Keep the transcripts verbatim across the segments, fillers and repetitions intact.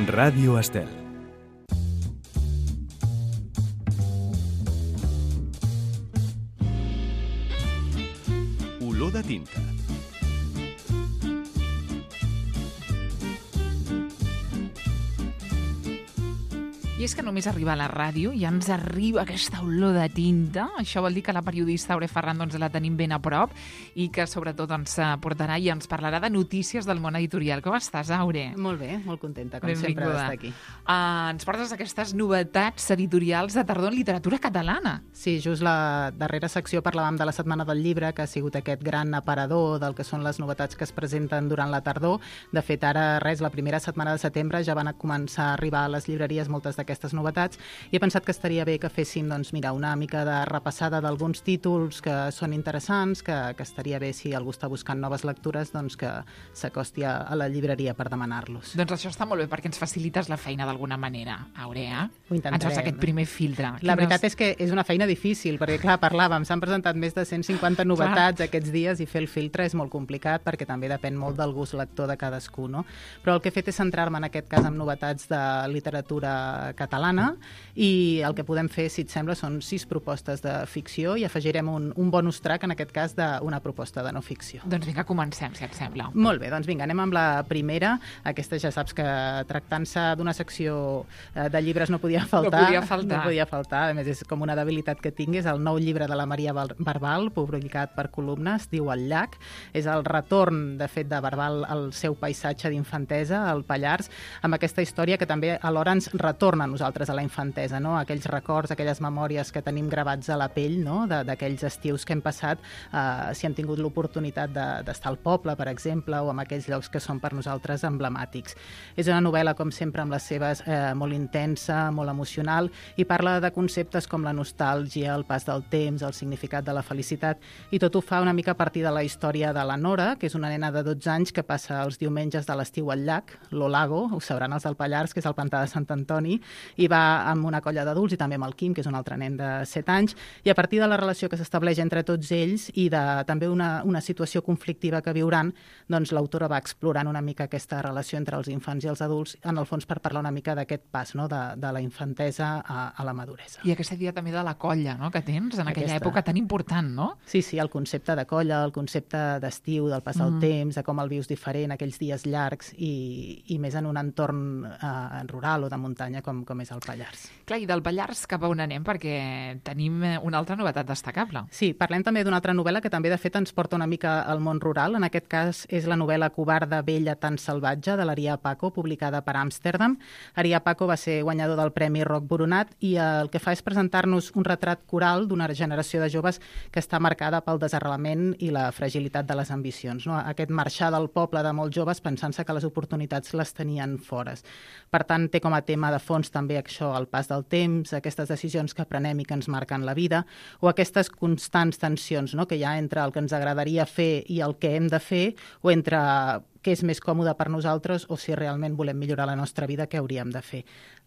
Ràdio Estel. Olor de tinta. I és que només arriba a la ràdio i ja ens arriba aquesta olor de tinta. Això vol dir que la periodista Aure Ferran doncs, la tenim ben a prop i que sobretot ens portarà i ens parlarà de notícies del món editorial. Com estàs, Aure? Molt bé, molt contenta, com Benvinguda. sempre, d'estar aquí. Uh, ens portes aquestes novetats editorials de tardor en literatura catalana. Sí, just la darrera secció parlàvem de la Setmana del Llibre, que ha sigut aquest gran aparador del que són les novetats que es presenten durant la tardor. De fet, ara, res, la primera setmana de setembre ja van a començar a arribar a les llibreries moltes d'aquestes aquestes novetats, i he pensat que estaria bé que féssim doncs, mira, una mica de repassada d'alguns títols que són interessants, que, que estaria bé si algú està buscant noves lectures doncs, que s'acosti a, a la llibreria per demanar-los. Doncs això està molt bé, perquè ens facilites la feina d'alguna manera, Aurea. Ho intentarem. Ens fas aquest primer filtre. La Quines... veritat és que és una feina difícil, perquè clar, parlàvem, s'han presentat més de cent cinquanta novetats clar. Aquests dies, i fer el filtre és molt complicat, perquè també depèn molt del gust lector de cadascú, no? Però el que he fet és centrar-me en aquest cas en novetats de literatura catalana, i el que podem fer, si et sembla, són sis propostes de ficció i afegirem un, un bonus track, en aquest cas, d'una proposta de no ficció. Doncs vinga, comencem, si et sembla. Molt bé, doncs vinga, anem amb la primera. Aquesta ja saps que tractant-se d'una secció de llibres no podia faltar. No podia faltar. No podia faltar, a més és com una debilitat que tinc, és el nou llibre de la Maria Barbal, publicat per Columnes, diu El llac. És el retorn, de fet, de Barbal al seu paisatge d'infantesa, al Pallars, amb aquesta història que també alhora ens retorna a nosaltres a la infantesa, no? Aquells records, aquelles memòries que tenim gravats a la pell, no? D'aquells estius que hem passat, eh, si hem tingut l'oportunitat d'estar al poble, per exemple, o en aquells llocs que són per nosaltres emblemàtics. És una novel·la, com sempre, amb les seves eh, molt intensa, molt emocional, i parla de conceptes com la nostàlgia, el pas del temps, el significat de la felicitat, i tot ho fa una mica a partir de la història de la Nora, que és una nena de dotze anys que passa els diumenges de l'estiu al llac, l'Olago, ho sabran els del Pallars, que és el pantà de Sant Antoni, i va amb una colla d'adults i també amb el Quim, que és un altre nen de set anys, i a partir de la relació que s'estableix entre tots ells i de també una, una situació conflictiva que viuran, doncs l'autora va explorant una mica aquesta relació entre els infants i els adults, en el fons per parlar una mica d'aquest pas, no? de, de la infantesa a, a la maduresa. I aquesta idea també de la colla, no? que tens en aquella aquesta... època tan important, no? Sí, sí, el concepte de colla, el concepte d'estiu, del pas del mm. temps, de com el vius diferent, aquells dies llargs i, i més en un entorn eh, rural o de muntanya com, com és el Pallars. Clar, i del Pallars cap a on anem? Perquè tenim una altra novetat destacable. Sí, parlem també d'una altra novel·la que també, de fet, ens porta una mica al món rural. En aquest cas és la novel·la Covarda, vella, tan salvatge, de l'Arià Paco, publicada per Amsterdam. Arià Paco va ser guanyador del Premi Roc Boronat i el que fa és presentar-nos un retrat coral d'una generació de joves que està marcada pel desarrelament i la fragilitat de les ambicions. No? Aquest marxar del poble de molts joves pensant-se que les oportunitats les tenien fores. Per tant, té com a tema de fons també això, el pas del temps, aquestes decisions que prenem i que ens marquen la vida, o aquestes constants tensions, no?, que hi ha entre el que ens agradaria fer i el que hem de fer, o entre què és més còmode per nosaltres o si realment volem millorar la nostra vida, què hauríem de fer.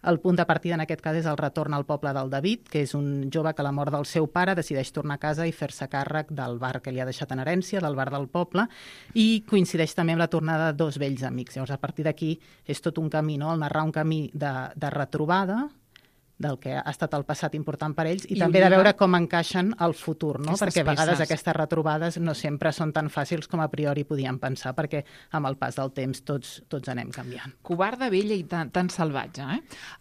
El punt de partida en aquest cas és el retorn al poble del David, que és un jove que a la mort del seu pare decideix tornar a casa i fer-se càrrec del bar que li ha deixat en herència, del bar del poble, i coincideix també amb la tornada de dos vells amics. Llavors, a partir d'aquí és tot un camí, no?, el narrar un camí de, de retrobada, del que ha estat el passat important per ells, i, I també de veure com encaixen al futur, no? Perquè a vegades peces. Aquestes retrobades no sempre són tan fàcils com a priori podíem pensar, perquè amb el pas del temps tots, tots anem canviant. Covarda, vella i tan, tan salvatge, eh?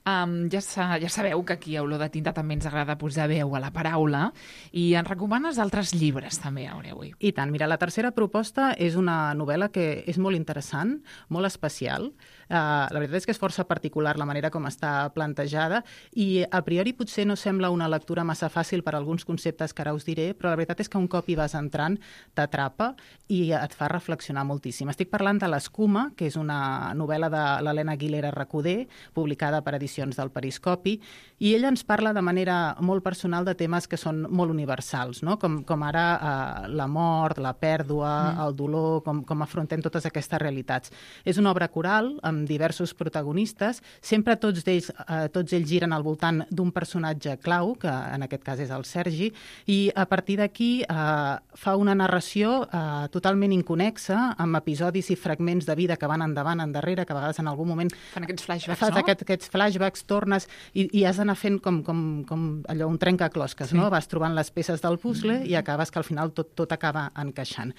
Um, ja, sa, ja sabeu que aquí a Olor de Tinta també ens agrada posar veu a la paraula, i ens recomanes altres llibres també, Aureu. I tant, mira, la tercera proposta és una novel·la que és molt interessant, molt especial. Uh, la veritat és que és força particular la manera com està plantejada, i I a priori potser no sembla una lectura massa fàcil per alguns conceptes que ara us diré, però la veritat és que un cop hi vas entrant t'atrapa i et fa reflexionar moltíssim. Estic parlant de L'Escuma, que és una novel·la de l'Helena Aguilera Recoder, publicada per Edicions del Periscopi, i ella ens parla de manera molt personal de temes que són molt universals, no? com, com ara eh, la mort, la pèrdua, mm. el dolor, com, com afrontem totes aquestes realitats. És una obra coral amb diversos protagonistes, sempre tots ells, eh, tots ells giren al voltant voltant d'un personatge clau, que en aquest cas és el Sergi, i a partir d'aquí eh, fa una narració eh, totalment inconexa, amb episodis i fragments de vida que van endavant, endarrere, que a vegades en algun moment... Fan aquests flashbacks, fas no? Aquest, aquests flashbacks, tornes, i, i has d'anar fent com, com, com allò, un trencaclosques, sí. No? Vas trobant les peces del puzzle mm. i acabes que al final tot, tot acaba encaixant.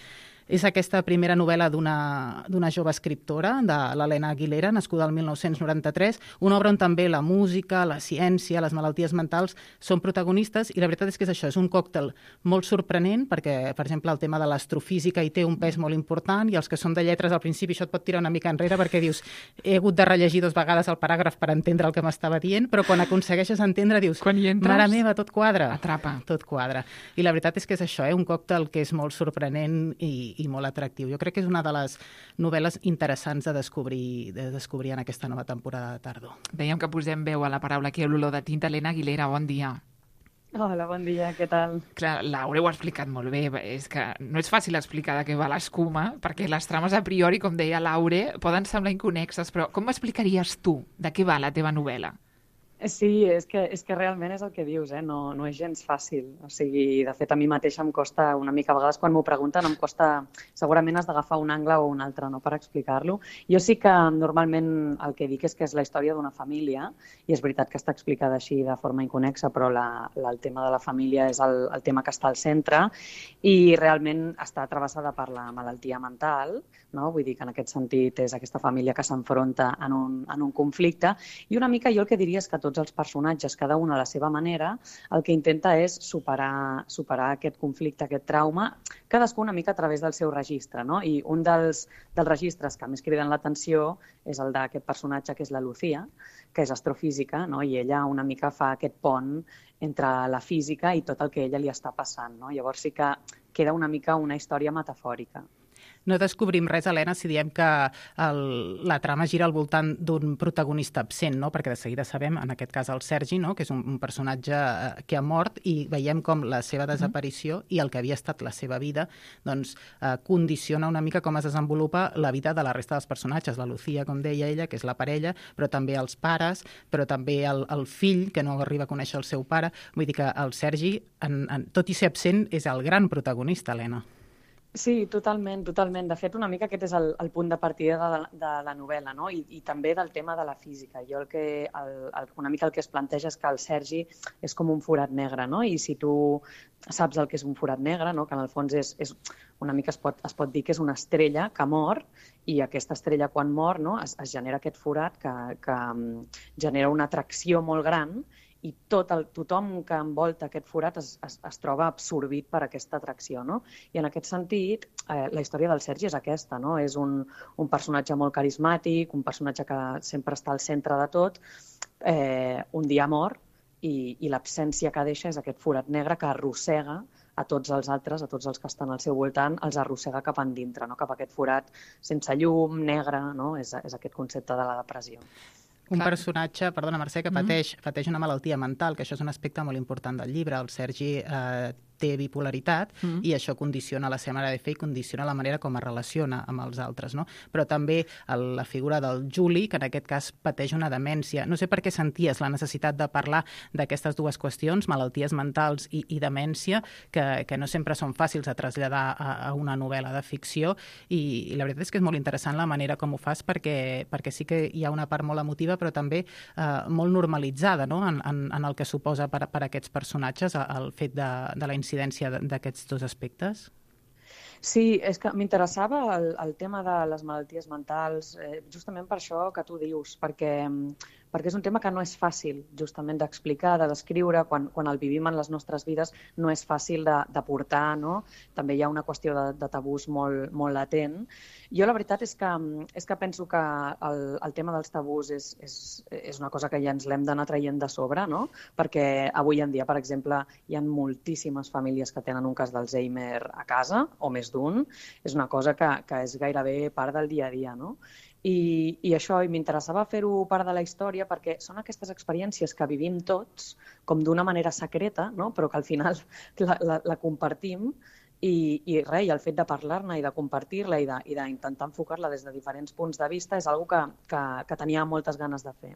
És aquesta primera novel·la d'una jove escriptora, de l'Helena Aguilera, nascuda el mil nou-cents noranta-tres, una obra on també la música, la ciència, les malalties mentals són protagonistes, i la veritat és que és això, és un còctel molt sorprenent, perquè, per exemple, el tema de l'astrofísica hi té un pes molt important, i els que són de lletres al principi això et pot tirar una mica enrere, perquè dius, he hagut de rellegir dos vegades el paràgraf per entendre el que m'estava dient, però quan aconsegueixes entendre dius, mare meva, tot quadra. Atrapa. Tot quadra. I la veritat és que és això, eh? Un còctel que és molt sorprenent i i molt atractiu. Jo crec que és una de les novel·les interessants de descobrir, de descobrir en aquesta nova temporada de tardor. Dèiem que posem veu a la paraula aquí a l'olor de tinta. Helena Aguilera, bon dia. Hola, bon dia, què tal? Clar, Laura ho ha explicat molt bé. És que no és fàcil explicar de què va l'escuma, perquè les trames a priori, com deia Laura, poden semblar inconexes, però com m'explicaries tu de què va la teva novel·la? Sí, és que, és que realment és el que dius, eh? no, no és gens fàcil. O sigui, de fet, a mi mateixa em costa una mica, a vegades quan m'ho pregunten, em costa, segurament has d'agafar un angle o un altre, no?, per explicar-lo. Jo sí que normalment el que dic és que és la història d'una família, i és veritat que està explicada així de forma inconexa, però la, la, el tema de la família és el, el tema que està al centre, i realment està travessada per la malaltia mental, no? Vull dir que en aquest sentit és aquesta família que s'enfronta en un, en un conflicte, i una mica jo el que diria és que tots els personatges, cada un a la seva manera, el que intenta és superar, superar aquest conflicte, aquest trauma, cadascú una mica a través del seu registre, no? I un dels, dels registres que més criden l'atenció és el d'aquest personatge, que és la Lucía, que és astrofísica, no? I ella una mica fa aquest pont entre la física i tot el que ella li està passant, no? Llavors sí que queda una mica una història metafòrica. No descobrim res, Helena, si diem que el, la trama gira al voltant d'un protagonista absent, no? Perquè de seguida sabem, en aquest cas el Sergi, no?, que és un, un personatge que ha mort, i veiem com la seva desaparició i el que havia estat la seva vida doncs, eh, condiciona una mica com es desenvolupa la vida de la resta dels personatges. La Lucía, com deia ella, que és la parella, però també els pares, però també el, el fill, que no arriba a conèixer el seu pare. Vull dir que el Sergi, en, en, tot i ser absent, és el gran protagonista, Helena. Sí, totalment, totalment. De fet, una mica aquest és el, el punt de partida de, de la novel·la, no? I, i també del tema de la física. Jo el que, el, el, una mica el que es planteja és que el Sergi és com un forat negre, no? I si tu saps el que és un forat negre, no?, que en el fons és, és una mica es pot, es pot dir que és una estrella que mor, i aquesta estrella quan mor, no?, es, es genera aquest forat que, que genera una atracció molt gran, i tot el, tothom que envolta aquest forat es, es, es troba absorbit per aquesta atracció, no? I en aquest sentit, eh, la història del Sergi és aquesta, no? És un, un personatge molt carismàtic, un personatge que sempre està al centre de tot, eh, un dia mor, i, i l'absència que deixa és aquest forat negre que arrossega a tots els altres, a tots els que estan al seu voltant, els arrossega cap endintre, no?, cap a aquest forat sense llum, negre, no? És, és aquest concepte de la depressió. Un Clar. personatge, perdona Mercè, que pateix, mm. pateix una malaltia mental, que això és un aspecte molt important del llibre. El Sergi eh, té bipolaritat mm. i això condiciona la seva manera de fer i condiciona la manera com es relaciona amb els altres, no? Però també el, la figura del Juli, que en aquest cas pateix una demència. No sé per què senties la necessitat de parlar d'aquestes dues qüestions, malalties mentals i, i demència, que, que no sempre són fàcils de traslladar a, a una novel·la de ficció, i, i la veritat és que és molt interessant la manera com ho fas, perquè, perquè sí que hi ha una part molt emotiva, però també eh, molt normalitzada, no?, en, en, en el que suposa per, per aquests personatges el fet de, de la incidència d'aquests dos aspectes? Sí, és que m'interessava el, el tema de les malalties mentals, eh, justament per això que tu dius, perquè, perquè és un tema que no és fàcil justament d'explicar, de descriure, quan, quan el vivim en les nostres vides no és fàcil de, de portar, no? També hi ha una qüestió de, de tabús molt, molt latent. Jo la veritat és que, és que penso que el, el tema dels tabús és, és, és una cosa que ja ens l'hem d'anar traient de sobre, no? Perquè avui en dia, per exemple, hi ha moltíssimes famílies que tenen un cas d'Alzheimer a casa, o més d'un. És una cosa que, que és gairebé part del dia a dia, no? I, i això, i m'interessava fer-ho part de la història perquè són aquestes experiències que vivim tots com d'una manera secreta, no?, però que al final la, la, la compartim, i, i res, i el fet de parlar-ne i de compartir-la i d'intentar enfocar-la des de diferents punts de vista és una cosa que, que, que tenia moltes ganes de fer.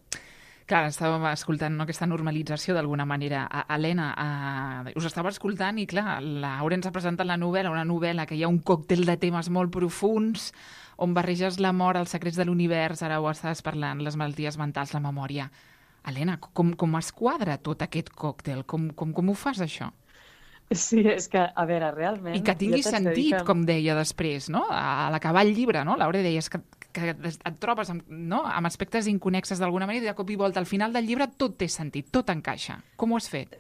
Clar, estàvem escoltant, no, aquesta normalització d'alguna manera. A, Helena, a, us estava escoltant i, clar, l'Aura ens ha presentat la novel·la, una novel·la que hi ha un còctel de temes molt profuns, on barreges la mort, els secrets de l'univers, ara ho estaves parlant, les malalties mentals, la memòria. Helena, com, com es quadra tot aquest còctel? Com, com, com ho fas, això? Sí, és que, a veure, realment... I que tingui sentit, que... com deia després, no? A l'acabar el llibre, no? Laura deies que, que et trobes amb, no? amb aspectes inconexes d'alguna manera i de cop i volta al final del llibre tot té sentit, tot encaixa. Com ho has fet?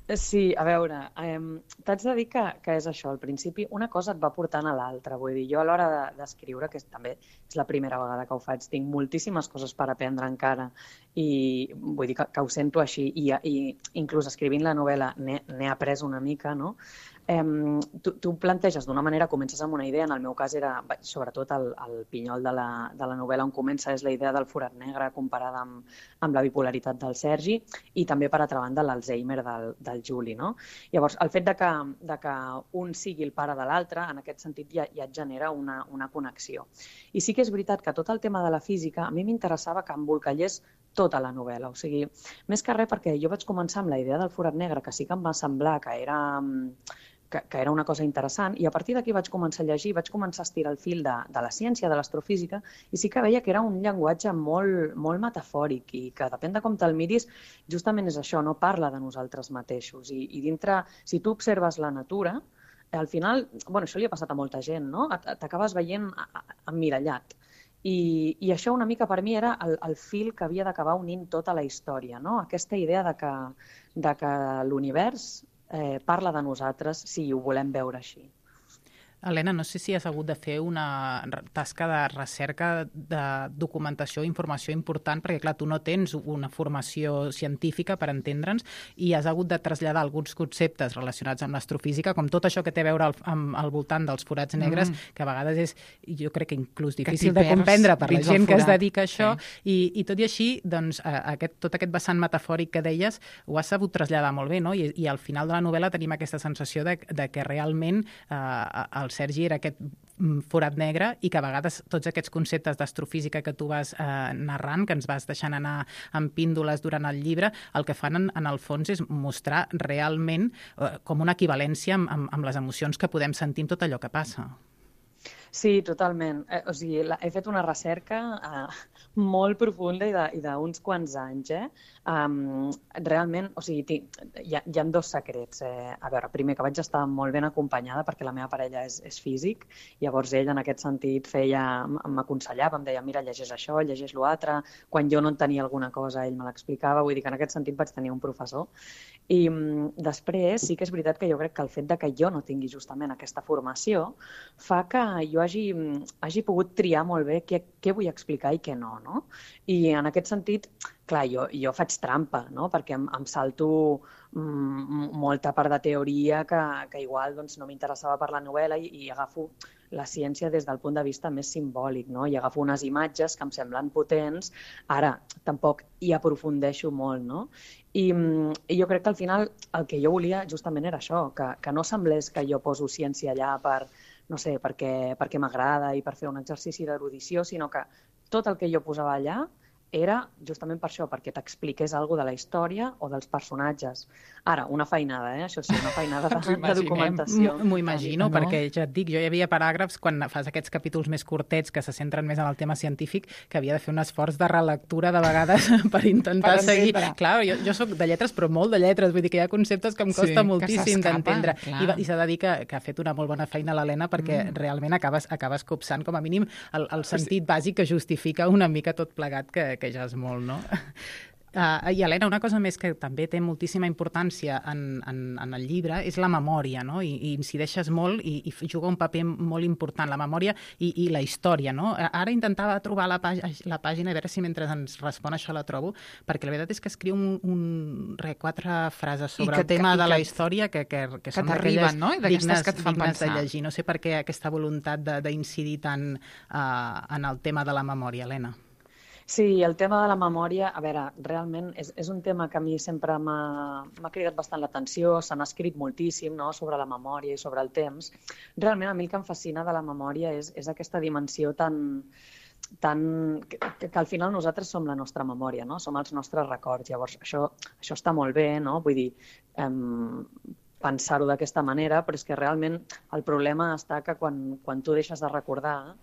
Sí, a veure, eh, t'haig de dir que, que és això, al principi una cosa et va portant a l'altra, vull dir, jo a l'hora d'escriure, de, que també és la primera vegada que ho faig, tinc moltíssimes coses per aprendre encara i vull dir que, que ho sento així i, i inclús escrivint la novel·la n'he après una mica, no? Eh, tu, tu planteges d'una manera, comences amb una idea, en el meu cas era, sobretot el, el pinyol de la, de la novel·la on comença és la idea del forat negre comparada amb, amb la bipolaritat del Sergi i també, per altra banda, l'Alzheimer del, del Juli, no? Llavors, el fet de que, de que un sigui el pare de l'altre, en aquest sentit ja, ja et genera una, una connexió. I sí que és veritat que tot el tema de la física, a mi m'interessava que embolcallés tota la novel·la, o sigui, més que res perquè jo vaig començar amb la idea del forat negre, que sí que em va semblar que era... Que, que era una cosa interessant, i a partir d'aquí vaig començar a llegir, vaig començar a estirar el fil de, de la ciència, de l'astrofísica, i sí que veia que era un llenguatge molt, molt metafòric i que depèn de com te'l miris, justament és això, no parla de nosaltres mateixos. I, i dintre, si tu observes la natura, al final, bueno, això li ha passat a molta gent, no? T'acabes veient emmirallat. I, I això una mica per mi era el, el fil que havia d'acabar unint tota la història, no? Aquesta idea de que, de que l'univers Eh, parla de nosaltres si ho volem veure així. Helena, no sé si has hagut de fer una tasca de recerca de documentació i informació important, perquè, clar, tu no tens una formació científica, per entendre'ns, i has hagut de traslladar alguns conceptes relacionats amb l'astrofísica, com tot això que té a veure al, amb, al voltant dels forats negres, mm. que a vegades és, jo crec que inclús difícil de comprendre per la gent que es dedica a això, sí. i, i tot i així, doncs, aquest, tot aquest vessant metafòric que deies, ho has sabut traslladar molt bé, no? I, i al final de la novel·la tenim aquesta sensació de, de que realment eh, el Sergi era aquest forat negre i que a vegades tots aquests conceptes d'astrofísica que tu vas eh, narrant, que ens vas deixant anar amb píndoles durant el llibre, el que fan en, en el fons és mostrar realment eh, com una equivalència amb, amb, amb les emocions que podem sentir en tot allò que passa. Sí, totalment. Eh, o sigui, la, he fet una recerca eh, molt profunda i d'uns quants anys. Eh? Um, realment, o sigui, hi ha, hi ha dos secrets. Eh? A veure, primer, que vaig estar molt ben acompanyada perquè la meva parella és, és físic, llavors ell en aquest sentit feia, m'aconsellava, em deia, mira, llegeix això, llegeix l'altre. Quan jo no en tenia alguna cosa, ell me l'explicava, vull dir que en aquest sentit vaig tenir un professor. I um, després sí que és veritat que jo crec que el fet de que jo no tingui justament aquesta formació fa que jo hagi, hagi pogut triar molt bé què, què vull explicar i què no, no? I en aquest sentit, clar, jo, jo faig trampa, no? Perquè em, em salto mm, molta part de teoria que, que igual doncs, no m'interessava per la novel·la i, i agafo la ciència des del punt de vista més simbòlic, no? I agafo unes imatges que em semblen potents, ara tampoc hi aprofundeixo molt, no? I, I jo crec que al final el que jo volia justament era això, que, que no semblés que jo poso ciència allà per, no sé, perquè, perquè m'agrada i per fer un exercici d'erudició, sinó que tot el que jo posava allà era justament per això, perquè t'expliqués alguna cosa de la història o dels personatges. Ara, una feinada, eh? Això sí, una feinada de, de documentació. M'ho imagino, no? Perquè ja et dic, jo hi havia paràgrafs, quan fas aquests capítols més curtets que se centren més en el tema científic, que havia de fer un esforç de relectura de vegades per intentar per seguir. Clar, jo, jo soc de lletres, però molt de lletres, vull dir que hi ha conceptes que em costa sí, moltíssim d'entendre. I, i s'ha de dir que, que ha fet una molt bona feina l'Helena perquè mm. realment acabes, acabes copsant, com a mínim, el, el sentit bàsic que justifica una mica tot plegat que, que ja és molt, no? Uh, I, Helena, una cosa més que també té moltíssima importància en, en, en el llibre és la memòria, no? I, i incideixes molt i, i juga un paper molt important, la memòria i, i la història, no? Ara intentava trobar la, pàg la pàgina, a veure si mentre ens respon això la trobo, perquè la veritat és que escriu un, un re, quatre frases sobre que, el tema que, de la que, història que, que, que, que són d'aquelles no? dignes, que dignes de llegir. No sé per què aquesta voluntat d'incidir tant uh, en el tema de la memòria, Helena. Sí, el tema de la memòria, a veure, realment és, és un tema que a mi sempre m'ha cridat bastant l'atenció, se n'ha escrit moltíssim, no?, sobre la memòria i sobre el temps. Realment a mi el que em fascina de la memòria és, és aquesta dimensió tan, tan... Que, que al final nosaltres som la nostra memòria, no? Som els nostres records. Llavors, això, això està molt bé, no? Vull dir, eh, pensar-ho d'aquesta manera, però és que realment el problema està que quan, quan tu deixes de recordar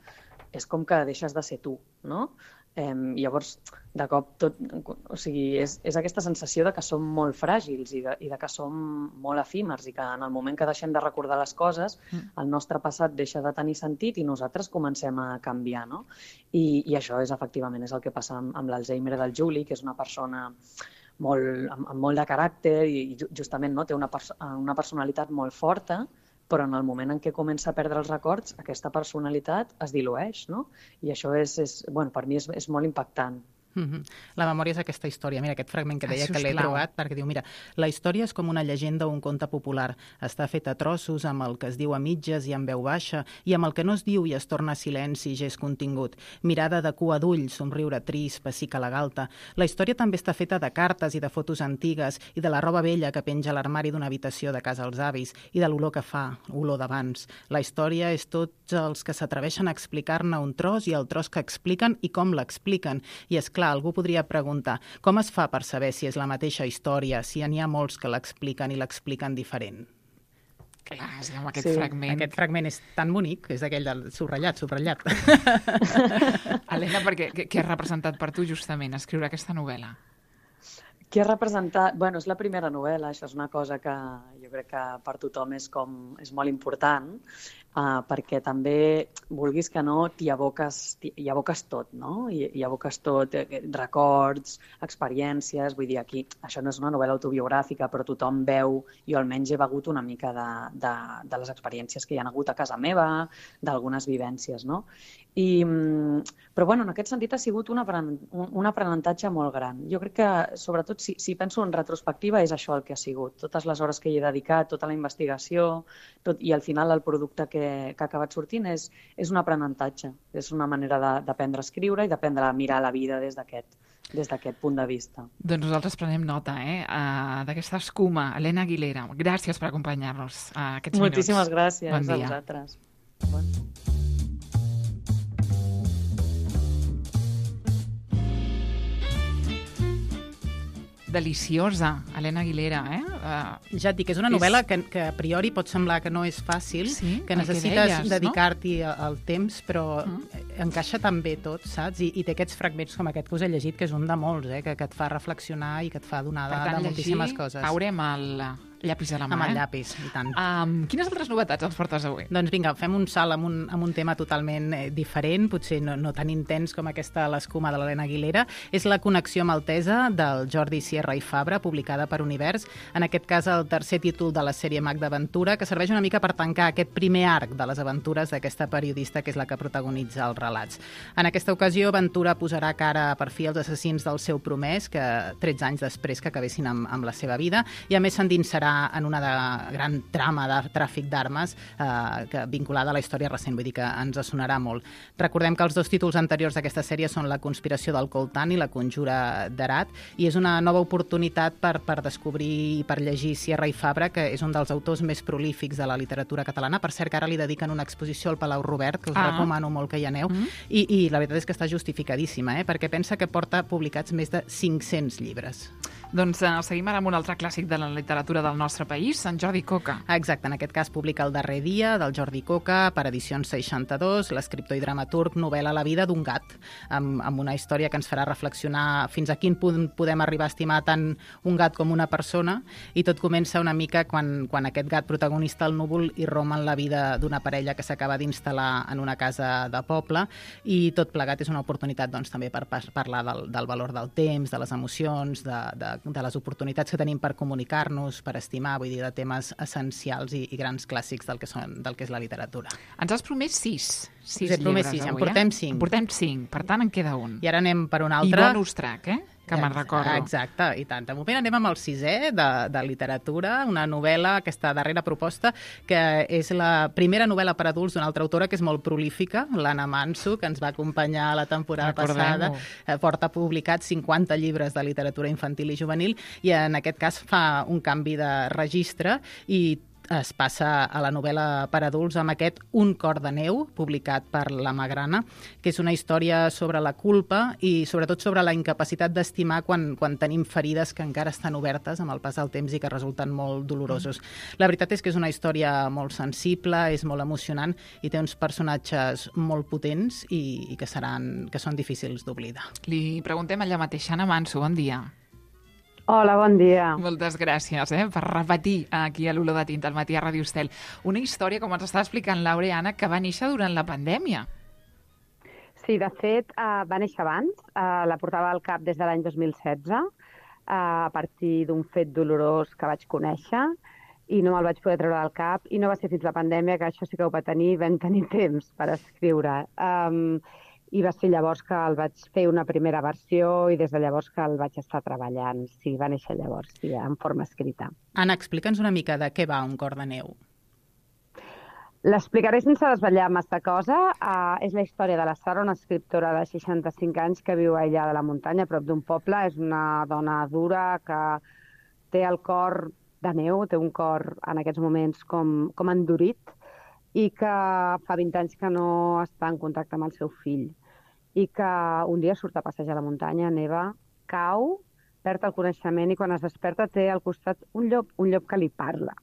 és com que deixes de ser tu, no? Eh, llavors, de cop, tot, o sigui, és, és aquesta sensació de que som molt fràgils i de, i de que som molt efímers i que en el moment que deixem de recordar les coses, mm. el nostre passat deixa de tenir sentit i nosaltres comencem a canviar, no? I, i això és, efectivament, és el que passa amb, amb l'Alzheimer del Juli, que és una persona molt, amb, amb molt de caràcter i justament no, té una, perso una personalitat molt forta, però en el moment en què comença a perdre els records, aquesta personalitat es dilueix, no? I això és, és bueno, per mi és, és molt impactant. Mm-hmm. La memòria és aquesta història. Mira, aquest fragment que deia que l'he trobat, perquè diu, mira, la història és com una llegenda o un conte popular. Està feta a trossos, amb el que es diu a mitges i amb veu baixa, i amb el que no es diu i es torna silenci i gest contingut. Mirada de cua d'ull, somriure trist, pessica la galta. La història també està feta de cartes i de fotos antigues i de la roba vella que penja a l'armari d'una habitació de casa als avis i de l'olor que fa, olor d'abans. La història és tots els que s'atreveixen a explicar-ne un tros i el tros que expliquen i com l'expliquen. I és clar, algú podria preguntar com es fa per saber si és la mateixa història, si n'hi ha molts que l'expliquen i l'expliquen diferent? Clar, és que amb aquest sí. fragment... Aquest fragment és tan bonic, és aquell del subratllat, subratllat. Elena, perquè, què ha representat per tu justament escriure aquesta novel·la? Què ha representat? Bueno, és la primera novel·la, això és una cosa que jo crec que per tothom és, com, és molt important, uh, perquè també, vulguis que no, t'hi aboques, hi aboques tot, no? Hi, hi aboques tot, eh, records, experiències, vull dir, aquí, això no és una novel·la autobiogràfica, però tothom veu, jo almenys he begut una mica de, de, de les experiències que hi ha hagut a casa meva, d'algunes vivències, no? I, però bueno, en aquest sentit ha sigut un, apren un aprenentatge molt gran. Jo crec que, sobretot, si, si penso en retrospectiva, és això el que ha sigut. Totes les hores que hi he dedicat, tota la investigació, tot, i al final el producte que, que ha acabat sortint és, és un aprenentatge. És una manera d'aprendre a escriure i d'aprendre a mirar la vida des d'aquest des d'aquest punt de vista. Doncs nosaltres prenem nota eh, uh, d'aquesta escuma. Elena Aguilera, gràcies per acompanyar-nos uh, aquests minuts. Moltíssimes gràcies bon a vosaltres. Bon. Deliciosa, Elena Aguilera, eh? Uh, ja et dic, és una novel·la és... que, que a priori pot semblar que no és fàcil, sí, que necessites que dedicar-t'hi no? el temps, però mm. encaixa tan bé tot, saps? I, I té aquests fragments com aquest que us he llegit, que és un de molts, eh? que, que et fa reflexionar i que et fa donar de, de moltíssimes coses. Haurem el llapis a la mà. Amb el eh? llapis, i tant. Um, quines altres novetats ens portes avui? Doncs vinga, fem un salt amb un, amb un tema totalment eh, diferent, potser no, no tan intens com aquesta l'escuma de l'Helena Aguilera. És la connexió maltesa del Jordi Sierra i Fabra, publicada per Univers. En aquest cas, el tercer títol de la sèrie Mag d'Aventura, que serveix una mica per tancar aquest primer arc de les aventures d'aquesta periodista que és la que protagonitza els relats. En aquesta ocasió, Ventura posarà cara per fi als assassins del seu promès, que tretze anys després que acabessin amb, amb la seva vida, i a més s'endinsarà en una de gran trama de tràfic d'armes eh, que vinculada a la història recent, vull dir que ens sonarà molt. Recordem que els dos títols anteriors d'aquesta sèrie són La conspiració del Coltan i La conjura d'Herat, i és una nova oportunitat per, per descobrir i per llegir Sierra i Fabra, que és un dels autors més prolífics de la literatura catalana. Per cert, que ara li dediquen una exposició al Palau Robert, que us ah. recomano molt que hi aneu, mm. i, i la veritat és que està justificadíssima, eh? perquè pensa que porta publicats més de cinc-cents llibres. Doncs uh, seguim ara amb un altre clàssic de la literatura del nostre país, en Jordi Coca. Exacte, en aquest cas publica El darrer dia, del Jordi Coca, per edicions seixanta-dos, l'escriptor i dramaturg novel·la La vida d'un gat, amb, amb una història que ens farà reflexionar fins a quin punt podem arribar a estimar tant un gat com una persona, i tot comença una mica quan, quan aquest gat protagonista, el núvol, irromp en la vida d'una parella que s'acaba d'instal·lar en una casa de poble, i tot plegat és una oportunitat doncs, també per parlar del, del valor del temps, de les emocions, de, de de les oportunitats que tenim per comunicar-nos, per estimar, vull dir, de temes essencials i, i grans clàssics del que, són, del que és la literatura. Ens has promès sis, sis Us he promès llibres sis, avui, en portem eh? cinc. En portem cinc, per tant en queda un. I ara anem per un altre. I bonus track, eh? Que me'n recordo. Exacte, i tant. De moment anem amb el sisè de, de literatura, una novel·la, aquesta darrera proposta, que és la primera novel·la per adults d'una altra autora que és molt prolífica, l'Anna Manso, que ens va acompanyar la temporada passada. Porta publicats cinquanta llibres de literatura infantil i juvenil, i en aquest cas fa un canvi de registre i es passa a la novel·la per adults amb aquest Un cor de neu, publicat per La Magrana, que és una història sobre la culpa i sobretot sobre la incapacitat d'estimar quan, quan tenim ferides que encara estan obertes amb el pas del temps i que resulten molt dolorosos. La veritat és que és una història molt sensible, és molt emocionant i té uns personatges molt potents i, i que, seran, que són difícils d'oblidar. Li preguntem allà mateix. Anna Manso, bon dia. Hola, bon dia. Moltes gràcies eh, per repetir aquí a l'Olor de Tinta al matí a Ràdio Estel. Una història, com ens està explicant Laura i Anna, que va néixer durant la pandèmia. Sí, de fet, uh, va néixer abans. Uh, la portava al cap des de l'any dos mil setze, uh, a partir d'un fet dolorós que vaig conèixer, i no me'l vaig poder treure del cap, i no va ser fins la pandèmia, que això sí que ho va tenir, vam tenir temps per escriure. Um, I va ser llavors que el vaig fer una primera versió i des de llavors que el vaig estar treballant. Sí, va néixer llavors, sí, en forma escrita. Anna, explica'ns una mica de què va Un cor de neu. L'explicaré sense desvetllar massa cosa. Uh, és la història de la Sara, una escriptora de seixanta-cinc anys que viu aïllada a la muntanya, a prop d'un poble. És una dona dura que té el cor de neu, té un cor en aquests moments com, com endurit i que fa vint anys que no està en contacte amb el seu fill. I que un dia surt a passejar a la muntanya, neva, cau, perd el coneixement i quan es desperta té al costat un llop, un llop que li parla.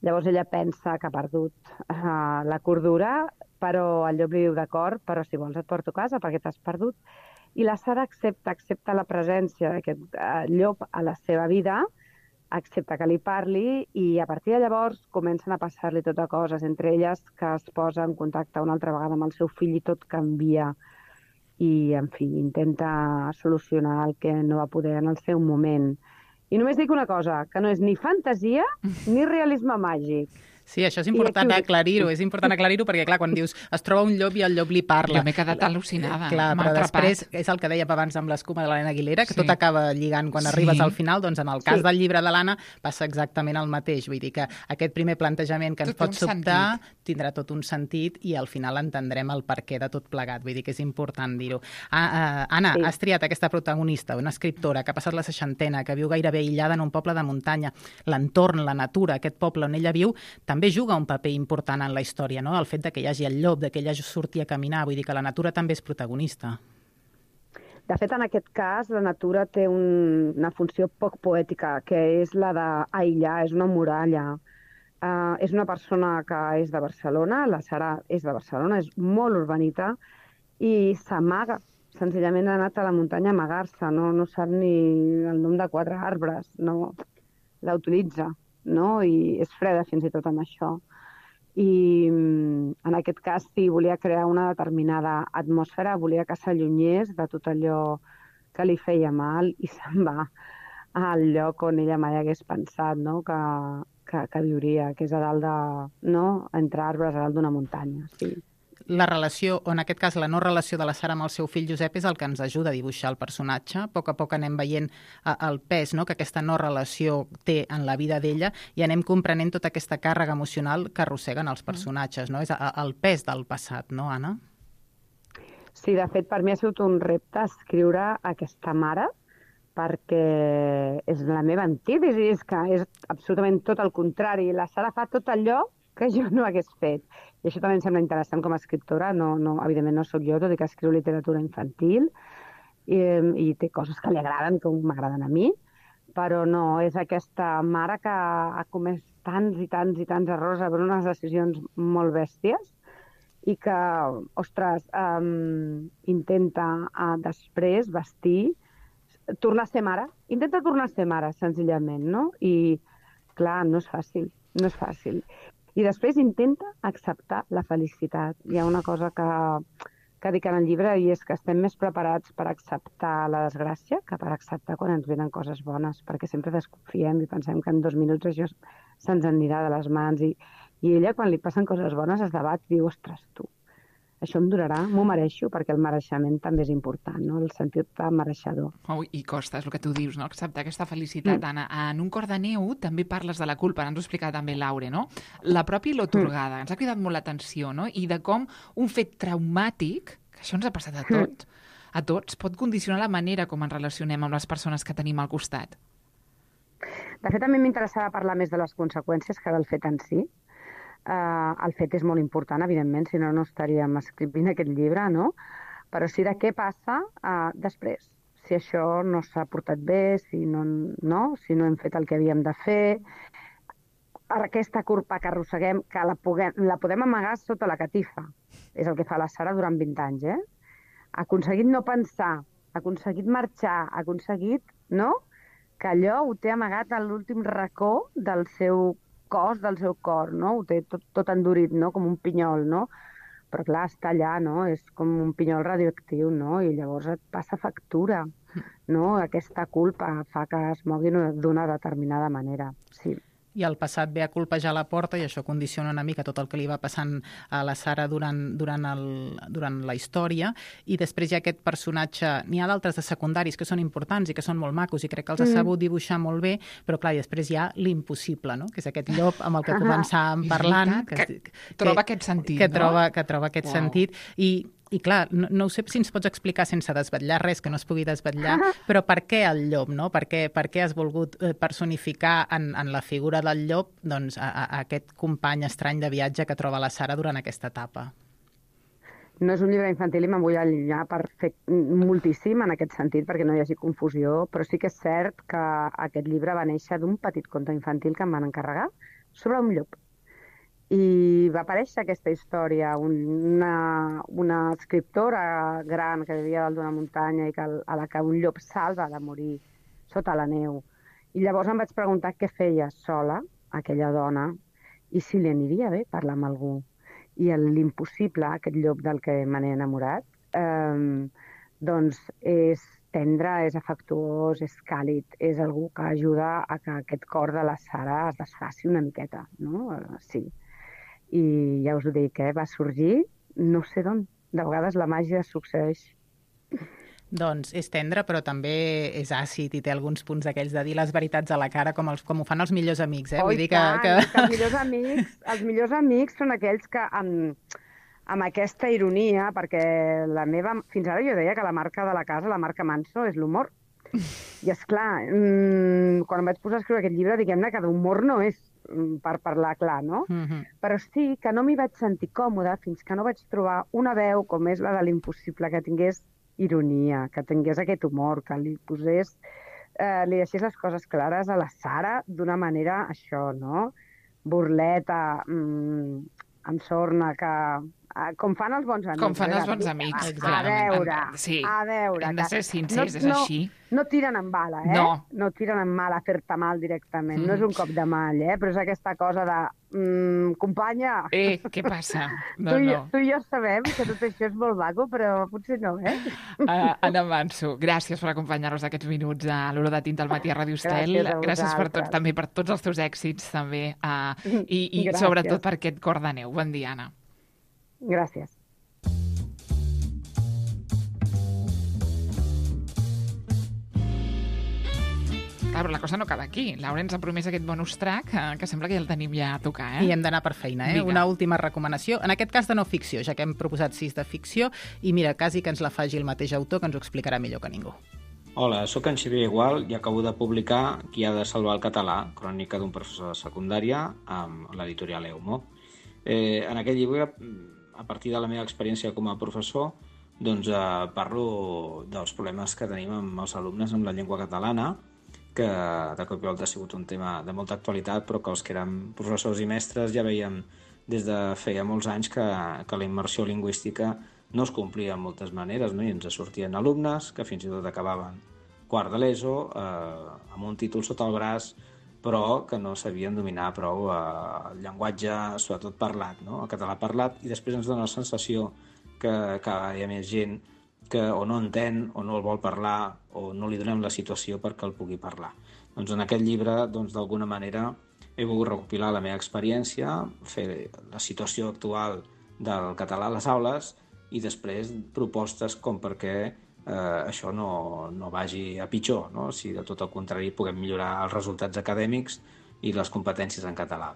Llavors ella pensa que ha perdut uh, la cordura, però el llop li diu d'acord, però si vols et porto a casa perquè t'has perdut. I la Sara accepta, accepta la presència d'aquest uh, llop a la seva vida, accepta que li parli i a partir de llavors comencen a passar-li tot a coses, entre elles que es posa en contacte una altra vegada amb el seu fill i tot canvia. I, en fi, intenta solucionar el que no va poder en el seu moment. I només dic una cosa, que no és ni fantasia ni realisme màgic. Sí, això és important aclarir-ho, és important aclarir-ho perquè, clar, quan dius es troba un llop i el llop li parla... Jo m'he quedat al·lucinada. Clar, però després és el que dèiem abans amb l'escuma de l'Helena Aguilera, que sí. Tot acaba lligant quan sí. arribes al final, doncs en el cas sí. del llibre de l'Anna passa exactament el mateix. Vull dir que aquest primer plantejament que ens tot pot sobtar sentit. Tindrà tot un sentit i al final entendrem el perquè de tot plegat. Vull dir que és important dir-ho. Ah, uh, Anna, sí. has triat aquesta protagonista, una escriptora que ha passat la seixantena, que viu gairebé aïllada en un poble de muntanya. L'entorn, la natura, aquest poble on ella viu, també juga un paper important en la història, no? El fet de que hi hagi el llop, de que ella surti a caminar, vull dir que la natura també és protagonista. De fet, en aquest cas, la natura té un, una funció poc poètica, que és la d'aïllar, és una muralla. Uh, és una persona que és de Barcelona, la Sara és de Barcelona, és molt urbanita, i s'amaga. Senzillament ha anat a la muntanya a amagar-se, no, no sap ni el nom de quatre arbres, no l'utilitza. No? I és freda fins i tot amb això. I en aquest cas sí, volia crear una determinada atmosfera, volia que s'allunyés de tot allò que li feia mal i se'n va al lloc on ella mai hagués pensat, no? que, que, que viuria, que és a dalt de, no? entre arbres, a dalt d'una muntanya. Sí. La relació, o en aquest cas la no relació de la Sara amb el seu fill Josep és el que ens ajuda a dibuixar el personatge. A poc a poc anem veient uh, el pes, no?, que aquesta no relació té en la vida d'ella i anem comprenent tota aquesta càrrega emocional que arrosseguen els personatges, no? És a, el pes del passat, no, Anna? Sí, de fet, per mi ha sigut un repte escriure aquesta mare perquè és la meva antítesi, és que és absolutament tot el contrari. La Sara fa tot allò que jo no hagués fet. I això també em sembla interessant com a escriptora. No, no, evidentment no sóc jo, tot i que escriu literatura infantil i, i té coses que li agraden, que m'agraden a mi, però no, és aquesta mare que ha comès tants i tants i tants errors, ha pres unes decisions molt bèsties i que, ostres, um, intenta uh, després vestir, tornar a ser mare. Intenta tornar a ser mare, senzillament, no? I, clar, no és fàcil, no és fàcil. I després intenta acceptar la felicitat. Hi ha una cosa que, que dic en el llibre i és que estem més preparats per acceptar la desgràcia que per acceptar quan ens venen coses bones, perquè sempre desconfiem i pensem que en dos minuts això se'ns anirà de les mans. I, i ella, quan li passen coses bones, es debat i diu, ostres, tu, això em durarà, m'ho mereixo, perquè el mereixement també és important, no? El sentit de mereixedor. Oh, I costa, és el que tu dius, no? Acceptar aquesta felicitat, mm. Anna. En Un cor de neu també parles de la culpa, ens ho explica també Laure, no? La pròpia L'Atorgada, mm. ens ha cridat molt l'atenció, no? I de com un fet traumàtic, que això ens ha passat a tot, mm. a tots, pot condicionar la manera com ens relacionem amb les persones que tenim al costat. De fet, a mi m'interessava parlar més de les conseqüències que del fet en si. Uh, el fet és molt important, evidentment, si no, no estaríem escrivint aquest llibre, no? Però sí de què passa uh, després, si això no s'ha portat bé, si no, no? si no hem fet el que havíem de fer, aquesta culpa que arrosseguem, que la, puguem, la podem amagar sota la catifa. És el que fa la Sara durant vint anys, eh? Ha aconseguit no pensar, ha aconseguit marxar, ha aconseguit, no?, que allò ho té amagat a l'últim racó del seu cos, del seu cor, no? Ho té tot, tot endurit, no?, com un pinyol, no? Però clar, està allà, no? És com un pinyol radioactiu, no? I llavors et passa factura, no? Aquesta culpa fa que es mogui d'una determinada manera, sí. I el passat ve a colpejar la porta i això condiciona una mica tot el que li va passant a la Sara durant, durant, el, durant la història, i després hi ha aquest personatge, n'hi ha d'altres de secundaris que són importants i que són molt macos i crec que els ha sabut dibuixar molt bé, però clar, i després hi ha l'impossible, no?, que és aquest llop amb el que començàvem parlant. Que, que, que troba aquest sentit, que no? Troba, que troba aquest wow. sentit, i I clar, no, no sé si ens pots explicar sense desvetllar res que no es pugui desvetllar, però per què el llop, no? Per què, per què has volgut personificar en, en la figura del llop doncs, a, a aquest company estrany de viatge que troba la Sara durant aquesta etapa? No és un llibre infantil i me'n vull allunyar per fer moltíssim en aquest sentit, perquè no hi hagi confusió, però sí que és cert que aquest llibre va néixer d'un petit conte infantil que em van encarregar sobre un llop. I va aparèixer aquesta història, una, una escriptora gran que vivia dalt d'una muntanya i que, a la que un llop salva de morir sota la neu. I llavors em vaig preguntar què feia sola aquella dona i si li aniria bé parlar amb algú. I l'impossible, aquest llop del que me n'he enamorat, eh, doncs és tendre, és afectuós, és càlid, és algú que ajuda a que aquest cor de la Sara es desfaci una miqueta, no? Sí. I ja us ho dic, eh? Va sorgir no sé d'on. De vegades la màgia succeeix. Doncs és tendre, però també és àcid i té alguns punts d'aquells de dir les veritats a la cara, com, els, com ho fan els millors amics. Eh? Oh, Vull dir que, que... que els millors amics, els millors amics són aquells que amb, amb aquesta ironia, perquè la meva... Fins ara jo deia que la marca de la casa, la marca Manso, és l'humor. I és clar, mmm, quan em vaig posar a escriure aquest llibre, diguem-ne que d'humor no és, per parlar clar, no? Mm-hmm. Però sí que no m'hi vaig sentir còmoda fins que no vaig trobar una veu com és la de l'impossible, que tingués ironia, que tingués aquest humor, que li posés, eh, li deixés les coses clares a la Sara d'una manera, això, no? Burleta, mmm, amb sorna, que... Com fan els bons amics. Com fan els bons amics, a, clar. A veure, sí. a veure. Hem de ser sincers, no, és així. No, no tiren amb bala, eh? No. No tiren amb bala a fer-te mal directament. Mm. No és un cop de mal, eh? Però és aquesta cosa de... Mm, companya... Eh, què passa? No, tu, i, no. tu i jo sabem que tot això és molt maco, però potser no, eh? Uh, Anna Manso, gràcies per acompanyar-nos aquests minuts a l'Hora de Tinta al matí a Ràdio Estel. Gràcies, gràcies per tots, també per tots els teus èxits, també. Uh, I i sobretot per aquest cor de neu. Bon dia, Anna. Gràcies. Clar, però la cosa no acaba aquí. Laura ens ha promès aquest bonus track, que, que sembla que ja el tenim ja a tocar, eh? I hem d'anar per feina, eh? Vinga. Una última recomanació, en aquest cas de no ficció, ja que hem proposat sis de ficció, i mira, quasi que ens la faci el mateix autor, que ens ho explicarà millor que ningú. Hola, sóc en Xavier Igual i acabo de publicar Qui ha de salvar el català, crònica d'un professor de secundària amb l'editorial Eumo. Eh, en aquest llibre, a partir de la meva experiència com a professor, doncs eh, parlo dels problemes que tenim amb els alumnes amb la llengua catalana, que de cop i volta ha sigut un tema de molta actualitat, però que els que érem professors i mestres ja veiem des de feia molts anys que, que la immersió lingüística no es complia de moltes maneres, no? I ens sortien alumnes que fins i tot acabaven quart de l'ESO eh, amb un títol sota el braç, però que no sabien dominar prou eh, el llenguatge, sobretot parlat, no? El català parlat, i després ens dona la sensació que, que hi ha més gent que o no entén o no el vol parlar o no li donem la situació perquè el pugui parlar. Doncs en aquest llibre, doncs, d'alguna manera, he volgut recopilar la meva experiència, fer la situació actual del català a les aules i després propostes com perquè eh, això no, no vagi a pitjor, no? Si de tot el contrari puguem millorar els resultats acadèmics i les competències en català.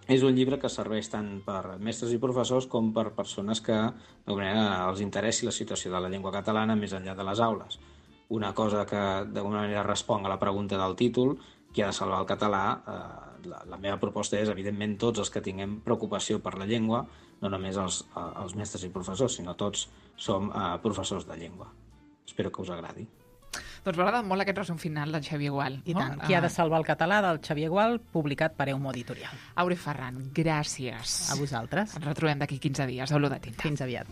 És un llibre que serveix tant per mestres i professors com per persones que d'alguna manera els interessi la situació de la llengua catalana més enllà de les aules. Una cosa que d'alguna manera respon a la pregunta del títol, qui ha de salvar el català, eh, la, la meva proposta és, evidentment, tots els que tinguem preocupació per la llengua, no només els, els mestres i professors, sinó tots som eh, professors de llengua. Espero que us agradi. Doncs m'agrada molt aquest resum final del Xavier Gual. I tant, Qui ha de salvar el català, del Xavier Gual, publicat per Eumo Editorial. Aure Ferran, gràcies. A vosaltres. Ens retrobem d'aquí quinze dies. Olor de tinta. Fins aviat.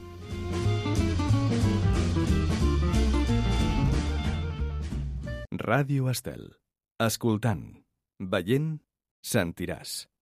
Ràdio Estel. Escoltant, veient, sentiràs.